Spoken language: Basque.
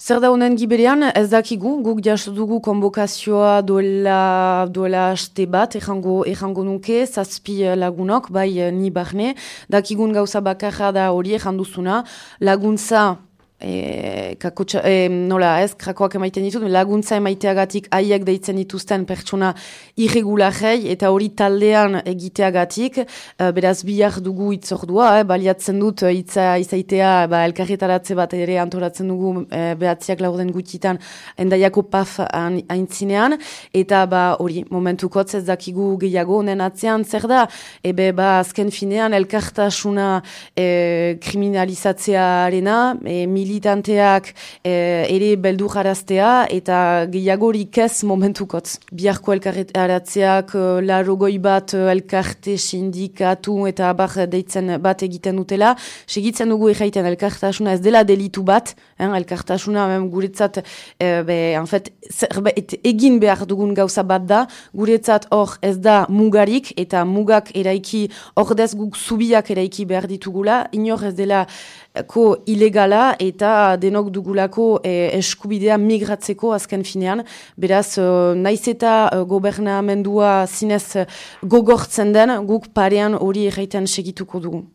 Zer da honen giberean, ez dakigu, guk jaso dugu konbokazioa duela aste bat, errango nuke, 7 lagunok, bai ni barne, dakigun gauza bakarra da hori erranduzuna, laguntza, nola ez, krakoak emaiten ditut, laguntza emaiteagatik haiek deitzen dituzten pertsona irregularrei eta hori taldean egiteagatik, beraz bihar dugu itzordua, baliatzen dut izaitea elkarretaratze bat ere antolatzen dugu behatziak laurden gutitan endaiako PAF aintzinean, eta hori momentukotz ez dakigu gehiago honen atzean zer da, azken finean elkartasuna kriminalizatzearena, militanteak ere beldur jaraztea eta gehiagorik ez momentukotz. Biharko elkarretratzeak larogoi bat elkarte sindikatu eta abar deitzen bat egiten dutela. Segitzen dugu erraiten elkartasuna ez dela delitu bat, elkartasuna guretzat egin behar dugun gauza bat da, guretzat hor ez da mugarik eta mugak eraiki, ordez guk zubiak eraiki behar ditugula, inor ez dela ilegala eta denok dugulako eskubidea migratzeko azken finean. Beraz, naiz eta gobernamendua zinez gogortzen den, guk parean hori erraiten segituko dugu.